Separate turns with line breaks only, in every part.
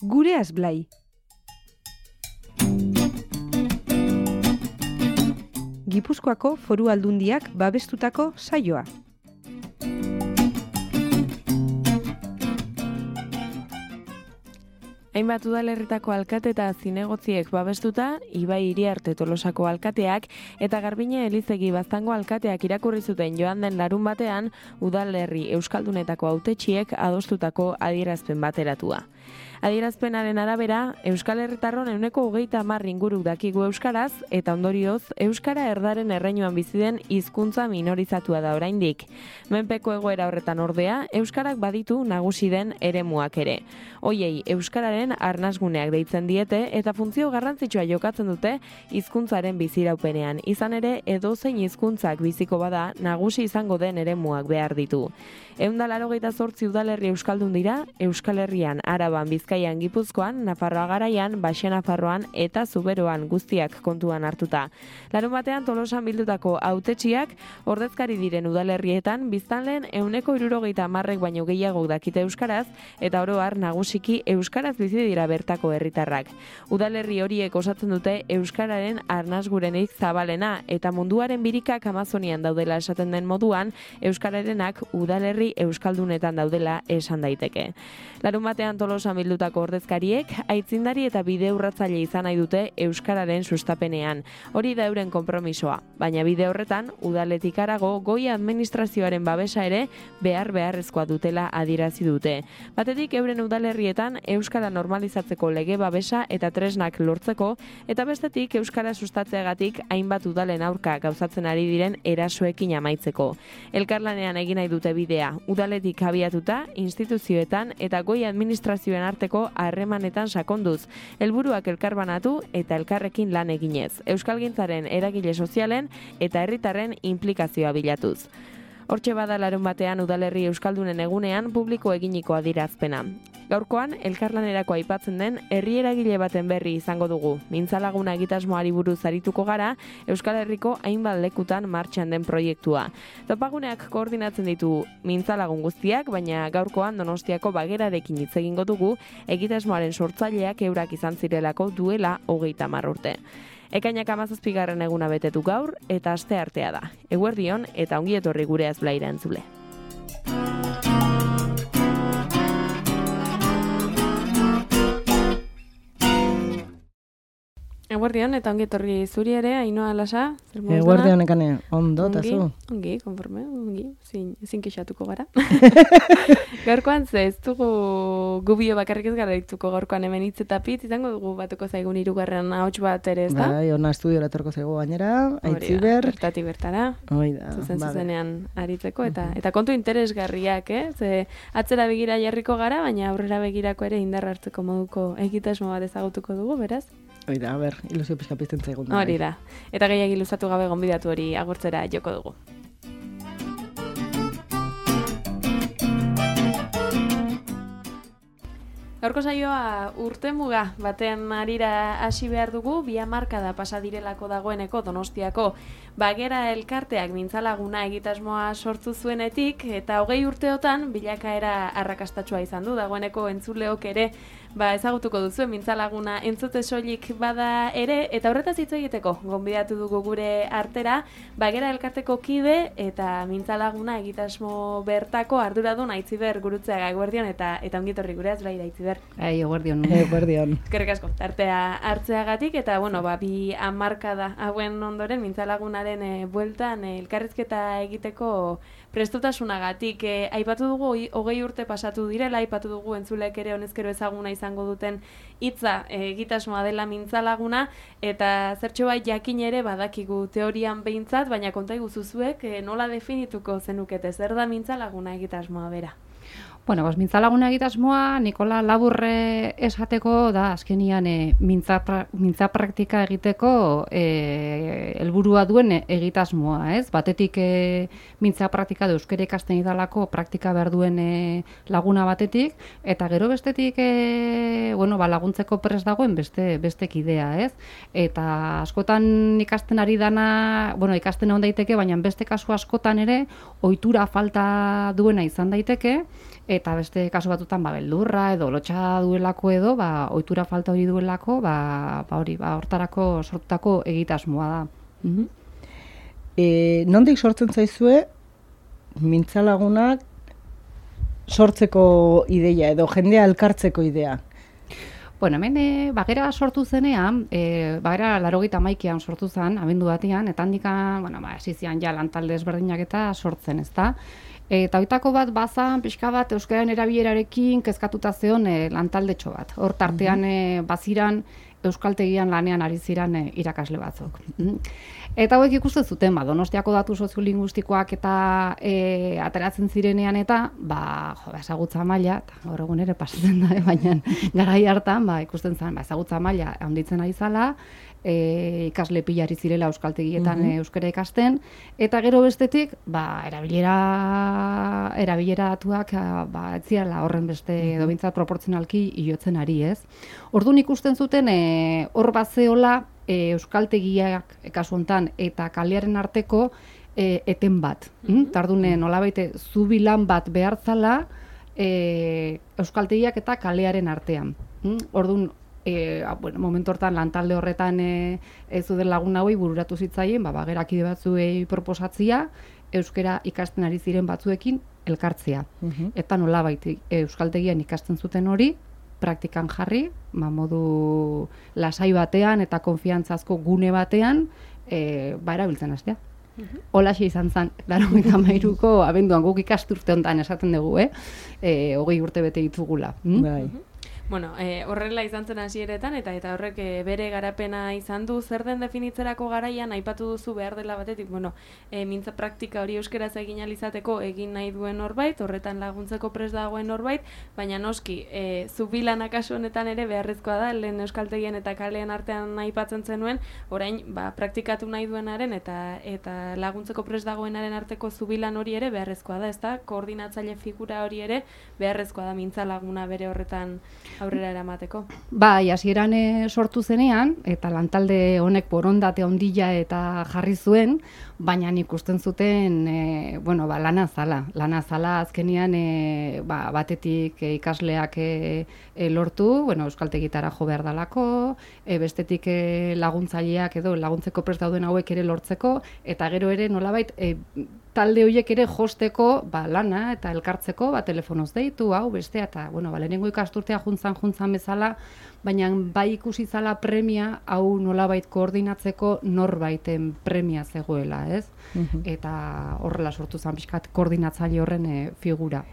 Gureaz Blai. Gipuzkoako Foru Aldundiak babestutako saioa.
Hainbat udalerritako alkate eta zinegotziek babestuta, Ibai Iriarte Tolosako alkateak eta Garbine Elizegi Baztango alkateak irakurri zuten joan den larun batean, udalerri euskaldunetako hautetsiek adostutako adierazpen bateratua. Adierazpenaren arabera, Euskal Herritarron 30% inguru dakigu euskaraz eta ondorioz euskara erdaren erreinuan bizi den hizkuntza minorizatua da oraindik. Menpeko egoera horretan ordea, euskarak baditu nagusi den eremuak ere. Hoiei euskararen arnasguneak deitzen diete eta funtzio garrantzitsua jokatzen dute hizkuntzaren biziraupenean. Izan ere, edozein hizkuntzak biziko bada nagusi izango den eremuak behar ditu. 188 udalerri euskaldun dira, Euskal Herrian, Araban, Bizkaian, Gipuzkoan, Nafarroa Garaian, Baxe Nafarroan eta Zuberoan guztiak kontuan hartuta. Larunbatean Tolosan bildutako hautetsiak ordezkari diren udalerrietan biztanleen 70% baino gehiago dakite euskaraz eta oro har nagusiki euskaraz bizi dira bertako herritarrak. Udalerri horiek osatzen dute euskararen arnasgurenik zabalena eta munduaren birikak Amazonian daudela esaten den moduan, euskararenak udalerri euskaldunetan daudela esan daiteke. Larunbatean Tolosan bildutako ordezkariek aitzindari eta bide urratzaile izan nahi dute euskararen sustapenean. Hori da euren konpromisoa, baina bide horretan udaletik harago goi administrazioaren babesa ere beharrezkoa dutela adierazi dute. Batetik euren udalerrietan euskara normalizatzeko lege babesa eta tresnak lortzeko eta bestetik euskara sustatzeagatik hainbat udalen aurka gauzatzen ari diren erasoekin amaitzeko. Elkarlanean egin nahi dute bidea, udaletik abiatuta, instituzioetan eta goi administrazioen arteko harremanetan sakonduz, helburuak elkarbanatu eta elkarrekin lan eginez, euskalgintzaren eragile sozialen eta herritarren inplikazioa bilatuz. Hortxe bada larunbatean udalerri euskaldunen egunean publiko eginiko adierazpena. Gaurkoan, elkarlanerako aipatzen den herri eragile baten berri izango dugu. Mintzalaguna egitasmoari buruz arituko gara, Euskal Herriko hainbat lekutan martxan den proiektua. Topaguneak koordinatzen ditu mintzalagun guztiak, baina gaurkoan Donostiako Bagerarekin hitz egingo dugu, egitasmoaren sortzaileak eurak izan zirelako duela 30 urte. Ekainak 17. eguna betetu gaur eta asteartea da. Eguerdion eta ongi etorri Gureaz Blaira entzule. Eguerdion eta ongi etorri zuri ere, Ainhoa Lasa.
Eguerdion ekane, ondo eta zu?
Ongi, konforme, ongi, zin kexatuko gara. Gaurkoan ez dugu gubio bakarrik ez gara dituko gaurkoan hemen hitz eta pitz, izango dugu batuko zaigun 3. ahots bat ere, ez da?
Bai, ona estudiora etorko zaigu gainera, Aitziber.
Bertatik bertara, zuzenean aritzeko, eta kontu interesgarriak, ze atzera begira jarriko gara, baina aurrera begirako ere indar hartzeko moduko egitasmo bat ezagutuko dugu, beraz?
Oida, ilusio pixka pizten zaigun.
Hori da. Eta gehiagik luzatu gabe gonbidatu hori agurtzera joko dugu. Gaurko saioa urtemuga baten harira hasi behar dugu, 2 hamarkada pasa direlako dagoeneko Donostiako Bagera elkarteak mintzalaguna egitasmoa sortu zuenetik, eta 20 urteotan bilakaera arrakastatsua izan du, dagoeneko entzuleok ere ezagutuko duzu mintzalaguna entzute soilik bada ere, eta horretaz hitz egiteko gonbidatu dugu gure artera Bagera elkarteko kide eta mintzalaguna egitasmo bertako arduradun Aitziber Gurutzeaga. Eguerdion eta ongitorri Gureaz Blaira, Aitziber.
Eguerdion.
Eskerrik asko tartea hartzeagatik eta 2 hamarkada hauen ondoren mintzalagunaren bueltan elkarrizketa egiteko prestutasunagatik. Aipatu dugu 20 urte pasatu direla, aipatu dugu entzulek ere honezkero ezaguna izango duten hitza egitasmoa dela mintzalaguna, eta zertxobait jakin ere badakigu teorian behintzat, baina konta iguzu zuek nola definituko zenukete, zer da mintzalaguna egitasmoa bera?
Bueno, mintzalaguna egitasmoa, Nikola laburre esateko da, azkenian mintza praktika egiteko helburua duen egitasmoa, ez? Batetik mintza praktika da euskara ikasten idalako praktika behar duen laguna batetik, eta gero bestetik laguntzeko prest dagoen beste kidea, ez? Eta askotan ikasten ari dana, ikasten egon daiteke, baina beste kasu askotan ere ohitura falta duena izan daiteke, eta beste kasu batutan beldurra edo lotxa duelako edo, ohitura falta hori duelako, hortarako sortutako egitasmoa da.
Nondik sortzen zaizue mintzalagunak sortzeko ideia edo jendea elkartzeko idea?
Bueno, hemen bagera sortu zenean, bagera 81an sortu zen, abendu batean, eta handikan, hasi zian ja lantalde ezberdinak eta sortzen, ezta? Eta hoitako bat bazan, pixka bat, euskararen erabilerarekin kezkatuta zeon lantaldetxo bat. Hor tartean baziran euskaltegian lanean ari ziran irakasle batzuk. Eta hauek ikusten zuten, Donostiako datu soziolinguistikoak eta ateratzen zirenean eta, ezagutza maila, eta gaur egun ere pasatzen da, baina garai hartan, ikusten zen, ezagutza maila handitzen ari zala, ikasle pilari zirela euskaltegietan euskara ikasten, eta gero bestetik, erabilera datuak ez zirela horren beste edo bintzat proportzionalki iotzen ari, ez? Orduan ikusten zuten, hor bazeola euskaltegiak kasu hontan eta kalearen arteko eten bat. Tardune nolabait zubi lan bat behartzala euskaltegiak eta kalearen artean. Orduan, momentu hortan lantalde horretan ez zuden lagun hauei bururatu zitzaien, gerakide batzuei proposatzia, euskara ikasten ari ziren batzuekin elkartzea. Eta nolabait euskaltegian ikasten zuten hori, praktikan jarri, modu lasai batean eta konfiantzazko gune batean, erabiltzen hastea. Holaxe izan zen, 93ko abenduan guk ikasturte honetan esaten dugu, 20 urte bete ditugula.
Bueno, horrela izan zen hasieretan eta horrek bere garapena izan du. Zer den definitzerako garaian aipatu duzu behar dela batetik, mintza praktika hori euskeraz egin alizateko egin nahi duen norbait, horretan laguntzeko prest dagoen norbait, baina noski, zubilanak kasu honetan ere beharrezkoa da, lehen euskaltegien eta kalean artean aipatzen zenuen, orain praktikatu nahi duenaren eta laguntzeko prest dagoenaren arteko zubilan hori ere beharrezkoa da, ezta? Koordinatzaile figura hori ere beharrezkoa da mintza laguna bere horretan aurrera eramateko.
Hasieran sortu zenean, eta lantalde honek borondate handia eta jarri zuen, baina ikusten zuten, lana zala azkenean batetik ikasleak lortu, euskaltegitara jo behar dalako, bestetik laguntzaileak edo laguntzeko prest dauden hauek ere lortzeko, eta gero ere nolabait talde horiek ere josteko lana eta elkartzeko, telefonoz deitu, hau, bestea, eta, lehenengo ikasturtea juntzan bezala, baina bai ikusi zala premia, hau nolabait koordinatzeko norbaiten premia zegoela, ez? Eta horrela sortu zen pixkat koordinatzaile horren figura.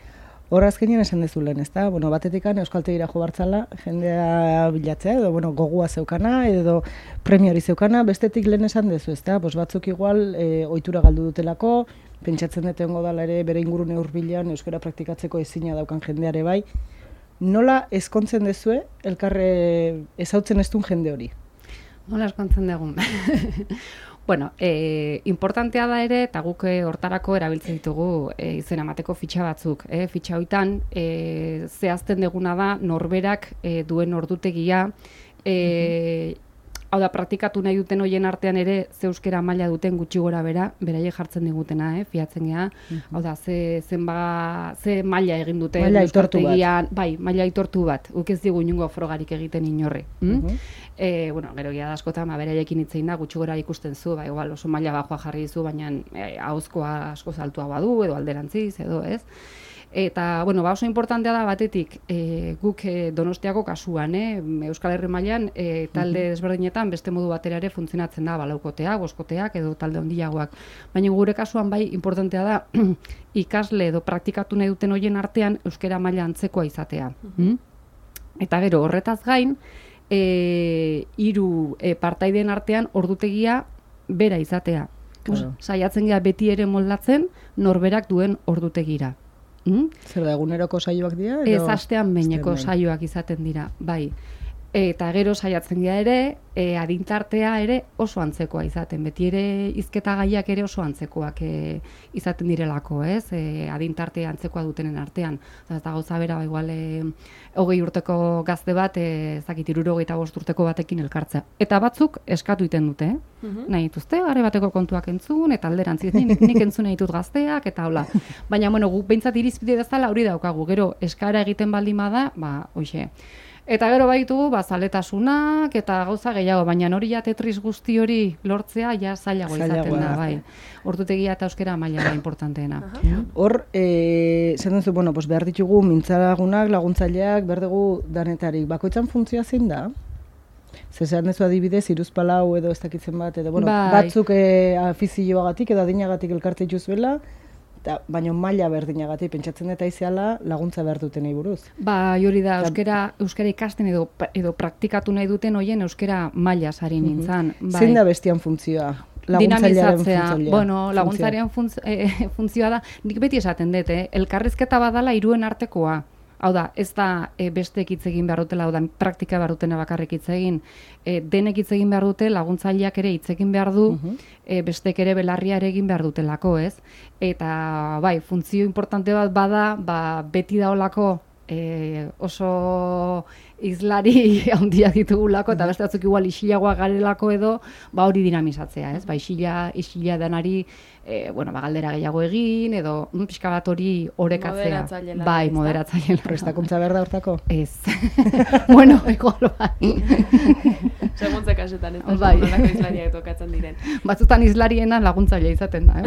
Hor azkenean esan dezu lehen, ezta? Batetikan euskaltegira jo bartzala, jendea bilatzea, edo gogua zeukana, edo premia hori zeukana, bestetik lehen esan dezu, ezta? Batzuk igual ohitura galdu dutelako, pentsatzen dut egongo dela ere bere ingurune hurbilean euskara praktikatzeko ezina daukan jendeare bai. Nola ezkontzen dezue elkarre ezautzen ez duen jende hori?
Nola ezkontzen dugun? Importantea da ere, eta guk hortarako erabiltzen ditugu izena emateko fitxa batzuk. Fitxa hoitan, zehazten deguna da norberak duen ordutegia, hau da, praktikatu nahi duten hoien artean ere ze euskera maila duten gutxi gora beraiek jartzen digutena, fiatzen geha. Hau da, ze maila egin duten.
Maila aitortu bat.
Bai, maila aitortu bat. Guk ez digu inungo frogarik egiten inorri. Gero gira da askotan, beraiekin hitzein da, gutxi gora ikusten zu, igual oso maila bajoa jarri dizu, baina ahozkoa asko zaltua badu, edo alderantziz, edo ez. Eta, oso importantea da batetik, guk Donostiako kasuan, Euskal Herri mailan talde desberdinetan beste modu batera ere funtzionatzen da, laukoteak, boskoteak edo talde handiagoak. Baina gure kasuan bai importantea da ikasle edo praktikatu nahi duten horien artean euskara maila antzekoa izatea. Eta gero horretaz gain, 3 partaideen artean ordutegia bera izatea. Saiatzen gea beti ere moldatzen norberak duen ordutegira.
Zer da, eguneroko saioak dira?
Ez astean behineko saioak izaten dira, bai. Eta gero saiatzen dira ere, adintartea ere oso antzekoa izaten. Beti ere hizketa gaiak ere oso antzekoak izaten direlako, ez? Adintartea antzekoa dutenen artean. Eta gauza bera, igual 20 urteko gazte bat, ez dakit 75 urteko batekin elkartzea. Eta batzuk eskatu iten dute, nahi dituzte, gare bateko kontuak entzun, eta alderantziz, nik entzun nahi ditut gazteak, eta hola. Baina, bueno, guk behintzat irizpide dezala hori daukagu, gero eskara egiten baldin bada, hoxe. Eta gero baitugu, zaletasunak eta gauza gehiago, baina hori ja Tetris guzti hori lortzea ja zailago izaten da, bai. Ordutegia eta euskera maila da importanteena.
Hor, zer duzu, behar ditugu mintzalagunak, laguntzaileak, behar dugu danetarik. Bakoitzan funtzioa zein da? Zeran dezu adibidez, hiruzpalau edo ez dakitzen bat, edo batzuk afizioagatik edo adinagatik elkarte dituzuela, baina maila berdinagatik pentsatzen eta iziala laguntza behar dutenei buruz.
Hori da, euskara ikasten edo praktikatu nahi duten hoien euskara maila sari nintzen.
Zein da bestian funtzioa?
Dinamizatzea. Laguntzailearen funtzioa da, nik beti esaten dut, elkarrizketa badala hiruen artekoa. Hau da, ez da bestek hitz egin behar dutela, hau da, praktika behar dutena bakarrik hitz egin. Denek hitz egin behar dute, laguntzaileak ere hitz egin behar du, bestek ere belarria ere egin behar dutelako, ez? Eta, funtzio importante bat bada, beti daolako oso izlari handiak ditugulako, eta beste batzuk igual isilagoa garelako edo, hori dinamizatzea, ez? Isila denari, galdera gehiago egin, edo pixka bat hori orekatzea. Moderatzailea.
Prestakuntza behar da hortako?
Ez. Igual bai.
Seguntze kasutan, ez da nolako izlariak tokatzen diren.
Batzutan izlariena laguntzailea izaten da,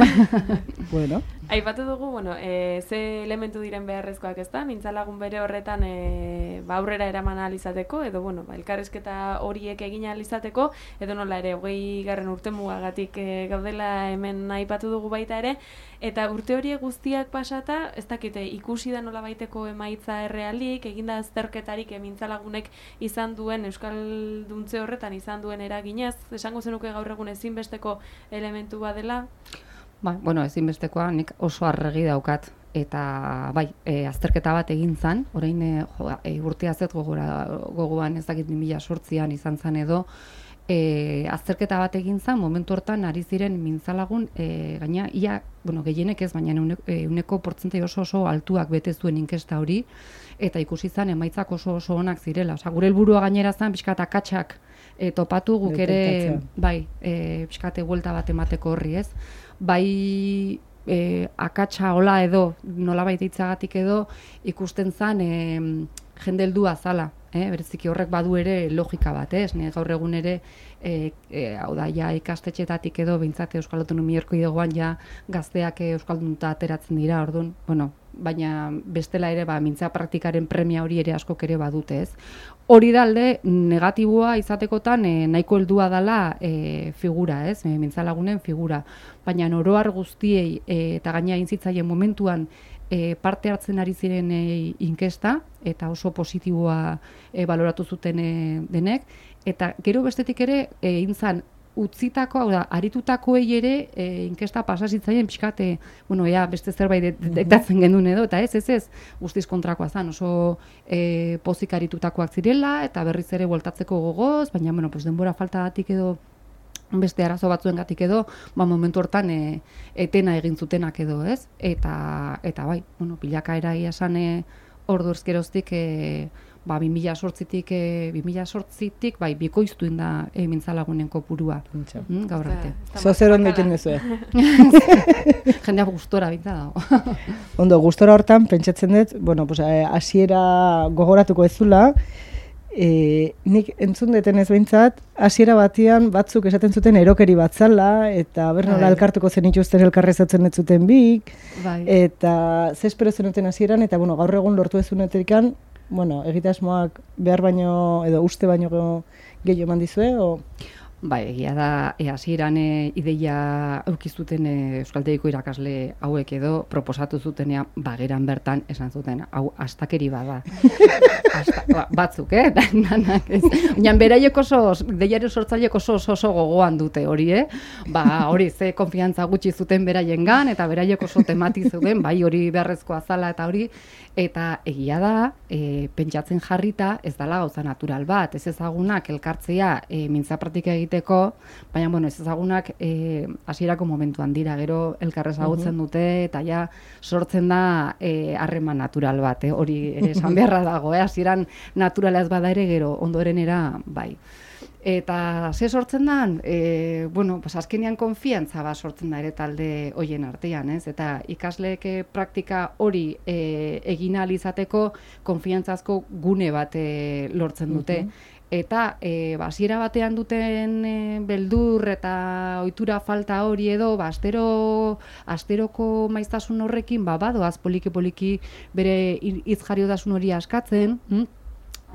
Bueno.
Aipatu dugu, ze elementu diren beharrezkoak ez da, mintzalagun bere horretan aurrera eraman ahal izateko, edo elkarrizketa horiek egin ahal izateko, edo nola ere, 20. urtemugagatik gaudela hemen aipatu dugu baita ere, eta urte horiek guztiak pasata, ez dakite, ikusi da nola baiteko emaitza errealik, eginda azterketarik mintzalagunek izan duen, euskalduntze horretan izan duen eraginez, esango zenuke gaur egun ezinbesteko elementu badela?
Ezinbestekoa nik oso arregi daukat. Eta azterketa bat egin zan, orain urtea zet gogoan ez dakit 2008an izan zan edo, azterketa bat egin zan, momentu hortan ari ziren mintzalagun, gaina, gehienek ez, baina euneko portzentai oso altuak bete zuen inkesta hori, eta ikusi zan emaitzak oso onak zirela. Gure helburua gainera zan, pixkat akatsak topatu guk ere, pixkate buelta bat emateko horri ez, akatsa hola edo, nolabait hitzagatik edo, ikusten zan jende heldua zala. Bereziki horrek badu ere logika bat, ez? Gaur egun ere, hau da, ikastetxetatik edo, behintzat Euskal Autonomia Erkidegoan gazteak euskaldunta ateratzen dira, orduan, baina bestela ere, mintza praktikaren premia hori ere askok ere badute, ez? Hori dalde, negatiboa izatekotan nahiko heldua dela figura, ez? Mintzalagunen figura. Baina oroar guztiei eta gaina intzitzaien momentuan parte hartzen ari ziren inkesta, eta oso positiboa baloratu zuten denek, eta gero bestetik ere intzan utzitako, hau da, aritutakoei ere inkesta pasazitzaien pixkate, beste zerbait detektatzen gendun edo, eta ez, guztiz kontrakoa zan, oso pozik aritutakoak zirela, eta berriz ere bueltatzeko gogoz, baina, denbora faltagatik edo, beste arazo batzuengatik edo, momentu hortan etena egin zutenak edo, ez? Eta bilakaera ia esan ordu ezkeroztik 2008tik bikoiztu inda mintzalagunen kopurua. Gaur arte.
Zer ondo egiten duzue?
Jendea gustora binta dago.
Ondo, gustora hortan, pentsatzen dut, hasiera gogoratuko ez zula, nik entzun deten ez behintzat, hasiera batian batzuk esaten zuten erokeri bat zala, eta bernola elkartuko zen ituzten elkarrezatzen ez zuten bik, eta zespero zenuten hasieran, eta gaur egun lortu ez zunetikan, egitasmoak behar baino, edo uste baino gehiago eman dizue, o?
Bai, egia da, hasieran ideia eukizuten euskaltegiko irakasle hauek edo proposatu zutenean bageran bertan esan zuten, hau astakeri bada. Batzuk, danak ez. Baina beraiek oso, deiaren sortzaileek oso gogoan dute hori, hori ze konfiantza gutxi zuten beraiengan eta beraiek oso temati zuten, bai hori beharrezkoa zala eta hori, eta egia da, pentsatzen jarrita ez dela gauza natural bat, ez ezagunak elkartzea mintza praktika egiteko, baina bueno, ez ezagunak hasierako momentuan dira, gero elkar ezagutzen dute eta ja sortzen da harreman natural bat, hori ere esan beharra dago, hasieran naturala ez bada ere gero ondorenera bai. Eta ze sortzen da, azkenean konfiantza bat sortzen da ere talde hoien artean, ez? Eta ikasleek praktika hori egin ahal izateko konfiantzazko gune bat lortzen dute. Eta hasiera batean duten beldur eta ohitura falta hori edo asteroko maiztasun horrekin badoaz poliki bere hitz-jariotasun hori askatzen,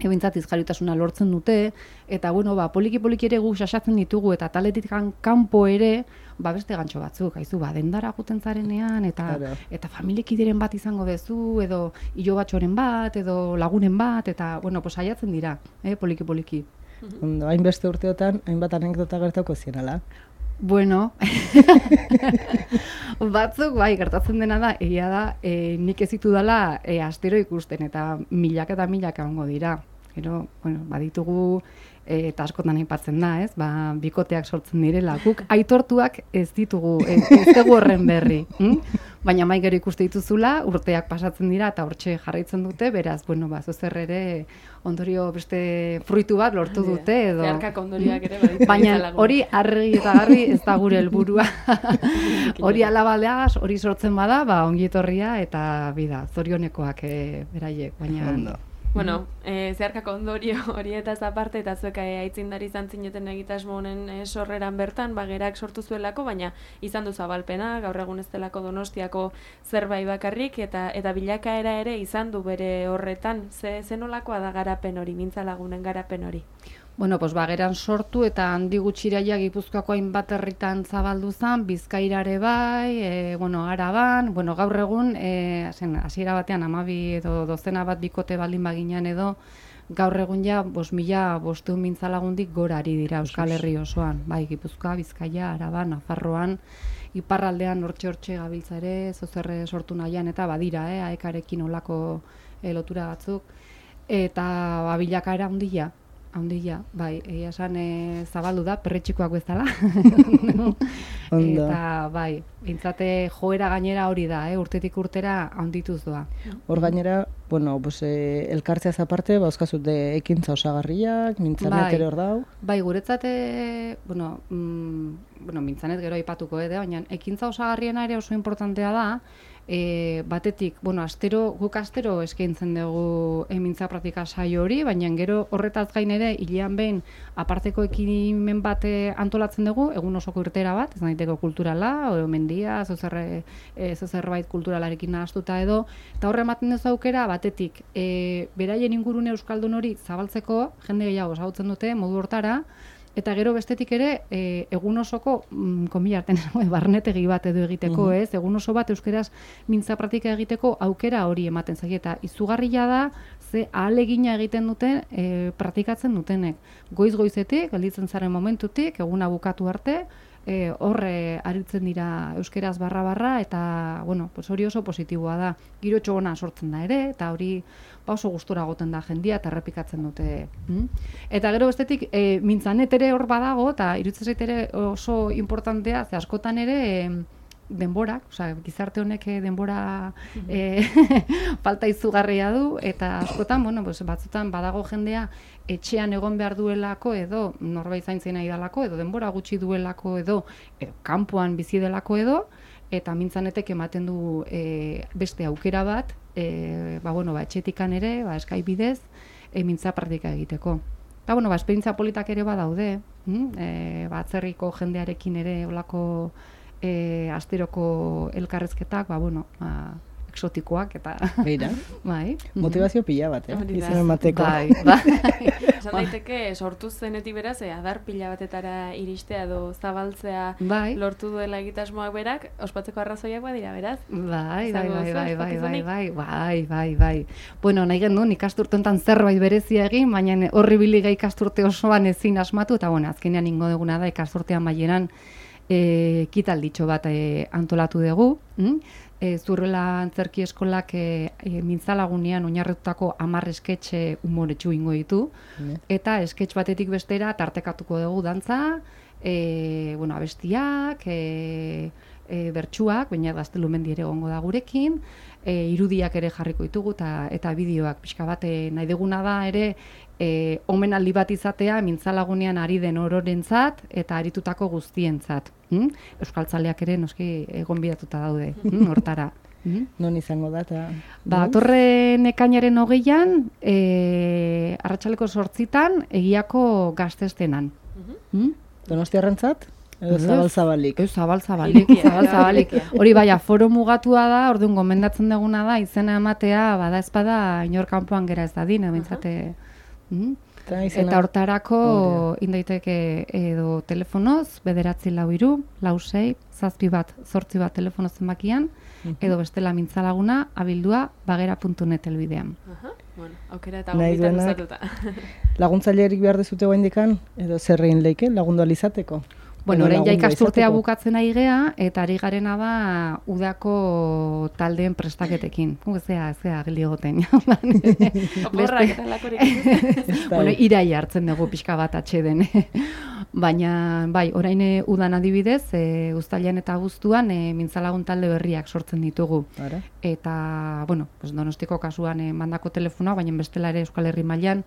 ebintzat izjariotasuna lortzen dute, eta poliki ere gu xaxatzen ditugu, eta taletik kanpo ere, beste gantxo batzuk, haizu, dendara guten zarenean, eta familiekideren bat izango dezu, edo hilo batxoren bat, edo lagunen bat, eta, saiatzen dira, poliki.
Ondo, hainbeste urteotan, hainbat anekdota gertauko zienala.
Bueno, batzuk, gertatzen dena da, egia da, nik ez ditu dela astero ikusten, eta milak egongo dira. Gero, baditugu, eta askotan aipatzen da, ez? Bikoteak sortzen direla. Guk aitortuak ez ditugu, ez dugu horren berri. Baina gero ikuste dituzula, urteak pasatzen dira, eta hortxe jarraitzen dute, beraz, zuzer ere ondorio beste fruitu bat lortu dute, edo...
Zeharkak ondorioak ere baditu.
Baina hori argi eta garbi ez da gure helburua. Hori alabaleaz, hori sortzen bada, ongi etorria, eta bida, zorionekoak beraiek, baina...
Bueno, zeharkako ondorio horietaz aparte eta zuek aitzindari izan zineten egitasmo honen sorreran bertan, gerak sortu zuelako, baina izan du zabalpena, gaur egun ez delako Donostiako zerbait bakarrik, eta bilakaera ere izan du bere horretan. Zenolakoa da garapen hori, Mintza Lagunen garapen hori?
Bageran sortu eta handi gutxiraia Gipuzkoako hainbat herritan zabaldu zen, Bizkairare bai, Araban, gaur egun, hasiera batean 12 edo dozena bat bikote baldin baginan edo, gaur egun ja 5.500 Mintza Lagundik gora ari dira Euskal Herri osoan, bai, Gipuzkoa, Bizkaia, Araban, Nafarroan, iparraldean hortxe gabiltza ere, zozerre sortu nahian, eta badira, aekarekin olako lotura batzuk, eta bilakaera handia, bai, egia esan zabaldu da, perretxikoak bezala. Eta, bai, bintzate joera gainera hori da, urtetik urtera handituz doa.
Hor gainera, elkartzeaz aparte, bauzkazute ekintza osagarriak, Mintzanet ere hor dau?
Bai, guretzat, Mintzanet gero aipatuko baina ekintza osagarriena ere oso importantea da, batetik, guk astero eskaintzen dugu Mintza praktika saio hori, baina gero horretaz gain ere, hilean behin aparteko ekimen bat antolatzen dugu, egun osoko irtera bat, ez daiteko kulturala, mendia, zerbait kulturalarekin nahaztuta edo, eta horre ematen duzu aukera, batetik, beraien ingurune euskaldun hori zabaltzeko, jende gehiago ezagutzen dute, modu hortara, eta gero bestetik ere, egun osoko, komilarten, barnetegi bat edo egiteko, ez? Egun oso bat euskeraz mintza praktika egiteko aukera hori ematen zaie, eta izugarria da, ze ahalegina egiten duten, praktikatzen dutenek. Goiz-goizetik, gelditzen zaren momentutik, eguna bukatu arte, horre aritzen dira euskeraz barra-barra, eta, hori oso positiboa da. Giro txogona sortzen da ere, eta hori oso gustora goten da jendia, eta errepikatzen dute. Eta gero bestetik, Mintzanet ere hor badago, eta iruditzen zait ere oso importantea, ze askotan ere, denborak, gizarte honek denbora falta izugarria du, eta askotan, batzutan badago jendea etxean egon behar duelako edo norbait zaintzen nahi dalako edo denbora gutxi duelako edo kanpoan bizi delako edo, eta Mintzanetek ematen du beste aukera bat, etxetikan ere, Skype bidez, mintza praktika egiteko. Eta, esperientzia politak ere badaude, atzerriko jendearekin ere olako asteroko elkarrezketak, exotikoak eta
Beira,
bai.
motivazio pila bat,
Hori da.
izan emateko.
Bai, bai.
Esan daiteke, sortu zenetik beraz, adar pila batetara iristea edo zabaltzea
Bai.
lortu duela egitasmoak berak, ospatzeko arrazoiak badira, beraz?
Bai, bai,
Izango
bai,
duzu
bai, bai, bai,
ospakizunik?
bai. Bueno, nahi genuen ikasturte honetan zerbait berezia egin, baina horri biliga ikasturte osoan ezin asmatu, eta bueno, azkenean ingo duguna da ikasturtean baieran ekitalditxo bat antolatu dugu. Zurrela Antzerki Eskolak mintzalagunean oinarritutako 10 esketxe umoretsu ingo ditu, eta esketx batetik bestera tartekatuko dugu dantza, bueno, abestiak, bertsuak, baina Gaztelumendi ere egongo da gurekin, irudiak ere jarriko ditugu eta bideoak pixka bat nahi duguna da ere omenaldi bat izatea mintzalagunean ari den ororentzat eta aritutako guztientzat. Euskaltzaleak ere noski gonbidatuta daude hortara.
Non izango da, eta...
Datorren ekainaren 20an, arratsaleko 8 egiako gaztestenan.
Donostiarrentzat? Edo zabal-zabalik?
Zabal-zabalik. Hori bai, aforo mugatua da, orduan gomendatzen duguna da, izena ematea, bada ezpada, inor kanpoan gera ez dadin, bintzate... Eta hortarako indaiteke edo telefonoz, 943-46-77 telefono zenbakian, edo bestela mintzalaguna, abildua, bagera.net elbidean.
Bueno, aukera eta gombita luzatuta.
Laguntzailerik behar dezute guaindikan, edo zerrein leike, lagundu alizateko?
Bueno, orain ja ikasturtea bukatzen ari gea, eta ari garena da udako taldeen prestaketekin. Zea geliogoten.
Oporrak eta lakorik.
Bueno, irai hartzen dugu pixka bat atxeden. Baina, bai, orain udan adibidez, uztailean eta abuztuan mintzalagun talde berriak sortzen ditugu. Eta, bueno, Donostiko kasuan mandako telefonoa, baina bestela ere Euskal Herri mailan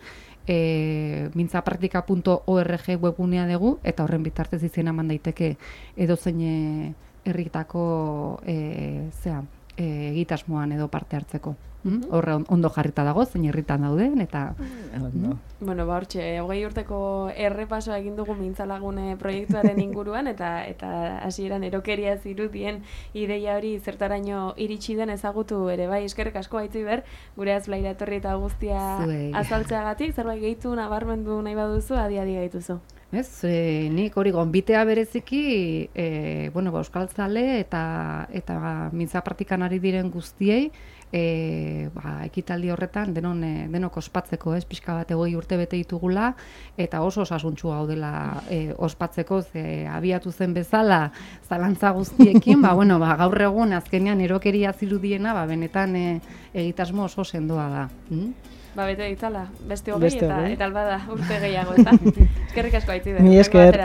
mintzapraktika.org webgunea dugu, eta horren bitartez izena eman daiteke edozein herritako egitasmoan edo parte hartzeko. Horre ondo jarrita dago, zein herritan dauden, eta...
Bueno, hortxe, 20 urteko errepasoa egin dugu mintzalagune proiektuaren inguruan, eta hasieran erokeria zirudien ideia hori zertaraino iritsi den ezagutu ere, bai, eskerrik asko Aitziber, gure Azblaira etorri eta guztia azaltzeagatik, zerbait gehitu nabarmendu nahi baduzu, adi gaituzu.
Ez, nik hori gonbitea bereziki, euskaltzale eta mintza praktikan ari diren guztiei, ekitaldi horretan denok ospatzeko, pixka bat 20 urte bete ditugula, eta oso osasuntsua gaudela ospatzeko, abiatu zen bezala zalantza guztiekin, gaur egun azkenean erokeria zirudiena, benetan egitasmo oso sendoa da.
Bete ditzala, beste 20 eta albada urte gehiago, eta eskerrik asko Aitziber.
Mi esker.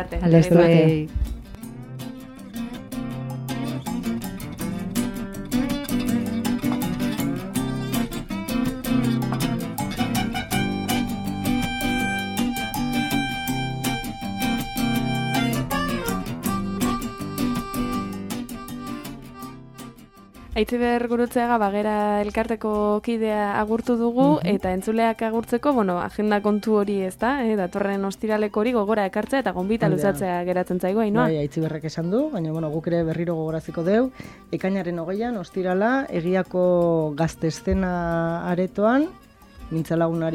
Aitziber Gurutzeaga Bagera elkarteko kidea agurtu dugu, eta entzuleak agurtzeko, agenda kontu hori ez da, datorren ostiraleko hori gogora ekartzea eta gonbita luzatzea geratzen zaigu, Ainhoa?
Bai, Aitziberrek esan du, baina guk ere berriro gogoraziko deu, ekainaren 20an, ostirala, egiako gazteszena aretoan, mintzalaguna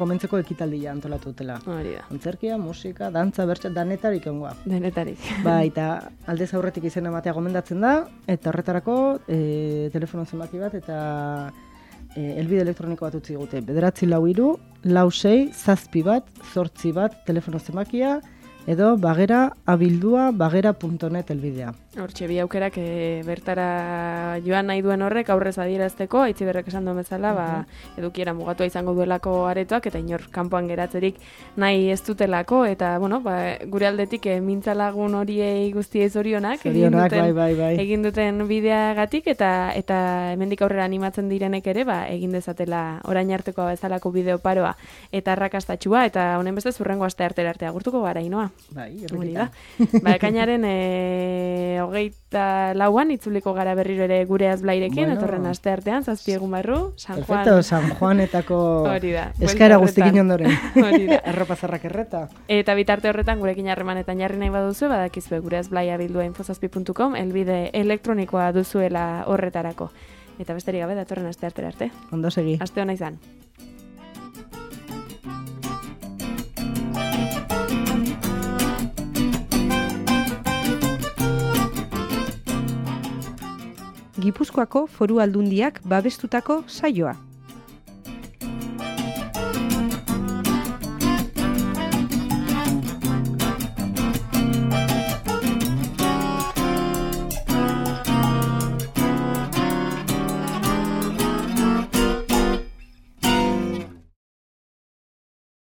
komentzeko ekitaldia antolatu dutela.
Hori da.
Antzerkia, musika, dantza, bertsa, danetarik ongoa.
Denetarik.
Eta aldez aurretik izena ematea gomendatzen da, eta horretarako telefono zenbaki bat eta elbide elektroniko bat utzi gute. 944-46-77-8 telefono zenbakia, edo bagera abildua bagera.net elbidea.
Hortxe, bi aukerak bertara joan nahi duen horrek aurrez adierazteko, Aitziberrek esan duen bezala, edukiera mugatua izango duelako aretoak, eta inor kanpoan geratzerik nahi ez dutelako, eta, gure aldetik mintzalagun horiei guztiei zorionak egin duten bideagatik, eta hemendik aurrera animatzen direnek ere, egin dezatela orain artekoa bezalako bideo paroa, eta arrakastatxua, eta honen beste zurrengo aste arte agurtuko gara, Ainhoa.
Bai,
hori da. Ekainaren 24an itzuliko gara berriro ere gure azblairekin,
Bueno.
etorren aste artean, 7 egun barru, San Juan.
Perfecto, San Juanetako
Hori da,
eskaera
buelta
guztikin
horretan.
ondoren.
Hori da.
Arropa zarrak erreta.
Eta bitarte horretan gurekin harremanetan jarri nahi baduzu, badakizue gure azblaia bildua infozazpi.com, elbide elektronikoa duzuela horretarako. Eta besterik gabe datorren aste artera arte.
Ondo segi.
Aste ona izan.
Gipuzkoako Foru Aldundiak babestutako saioa.